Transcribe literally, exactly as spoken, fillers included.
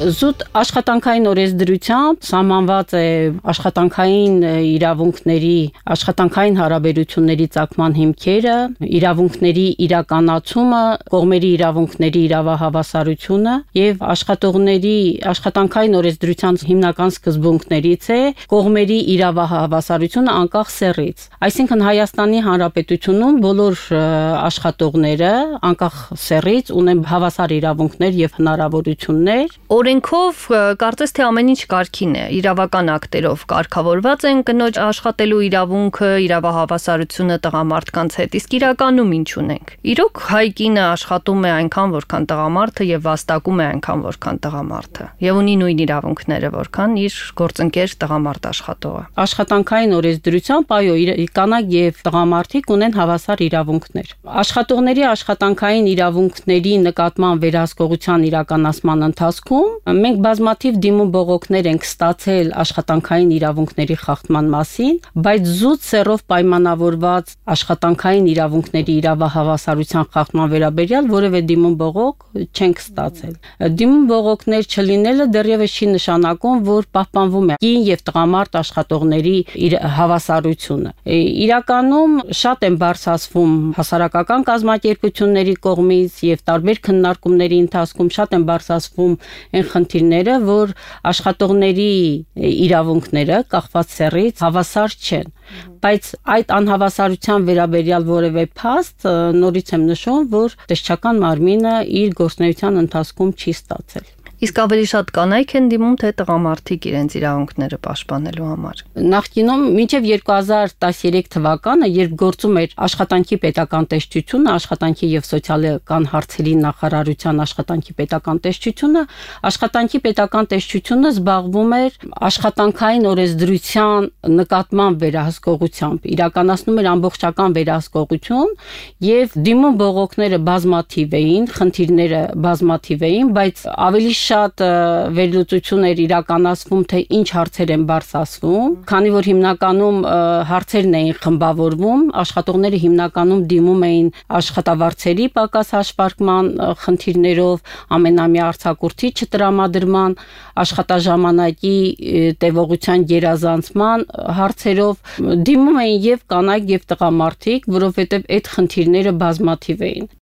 Զուտ աշխատանքային օրենսդրությամբ սահմանված է աշխատանքային իրավունքների, աշխատանքային հարաբերությունների ծագման հիմքերը, իրավունքների իրականացումը, կողմերի իրավունքների իրավահավասարությունը եւ աշխատողների աշխատանքային օրենսդրության հիմնական սկզբունքներից է կողմերի իրավահավասարությունը անկախ սեռից։ Այսինքն Հայաստանի Հանրապետությունում բոլոր աշխատողները անկախ սեռից ունեն հավասար իրավունքներ եւ հնարավորություններ։ Օրենքով կարծես թե ամեն ինչ կարգին է, իրավական ակտերով կարգավորված են կնոջ աշխատելու իրավունքը, իրավահավասարությունը տղամարդկանց հետ, իսկ իրականում ինչ ունենք։ Իրոք հայ կինը աշխատում է այնքան, որքան տղամարդը եւ վաստակում է այնքան, որքան տղամարդը, եւ ունի նույն իրավունքները, որքան իր գործընկեր տղամարդ աշխատողը։ Աշխատանքային օրենսդրությամբ այո, կանայք եւ տղամարդիկ ունեն հավասար իրավունքներ։ Աշխատողների աշխատանքային իրավունքների նկատմամբ վերահսկողության իրականացման ընթացքում մենք բազմաթիվ դիմում բողոքներ ենք ստացել աշխատանքային իրավունքների խախտման մասին, բայց զուտ սեռով պայմանավորված աշխատանքային իրավունքների իրավահավասարության խախտման վերաբերյալ որևէ դիմում բողոք չենք ստացել։ Դիմում բողոքներ չլինելը դեռևս չի նշանակում, որ պահպանվում է կին եւ տղամարդ աշխատողների հավասարությունը։ Իրականում շատ են բարձրացվում հասարակական կազմակերպությունների կողմից եւ տարբեր քննարկումների ընթացքում շատ են բարձրացվում այն խնդիրները, որ աշխատողների իրավունքները կախված սեռից հավասար չեն, բայց այդ անհավասարության վերաբերյալ որևէ փաստ նորից եմ նշում, որ տեսչական մարմինը իր գործունեության ընթացքում չի ստացել։ Իսկ ավելի շատ կանայք են դիմում, թե տղամարդիկ իրենց իրավունքները պաշտպանելու համար։ Նախկինում մինչև երկու հազար տասներեք թվականը, երբ գործում էր աշխատանքի պետական տեսչությունը, աշխատանքի եւ սոցիալական հարցերի նախարարության աշխատանքի պետական տեսչությունը, աշխատանքի պետական տեսչությունը զբաղվում էր աշխատանքային օրենսդրության նկատմամբ վերահսկողությամբ, իրականացնում էր ամբողջական վերահսկողություն եւ դիմում բողոքները բազմաթիվ էին, խնդիրները բազմաթիվ էին, բայց ավելի շատ վերլուծություն էր իրականացվում, թե ինչ հարցեր են բարձրացվում, քանի որ հիմնականում հարցերն էին խմբավորվում, աշխատողները հիմնականում դիմում էին աշխատավարձերի պակաս հաշվարկման խնդիրներով, ամենամյա արձակուրդի չտրամադրման, աշխատաժամանակի տևողության գերազանցման հարցերով, դիմում էին եւ կանայք եւ տղամարդիկ, որովհետեւ այդ խնդիրները բազմաթիվ էին։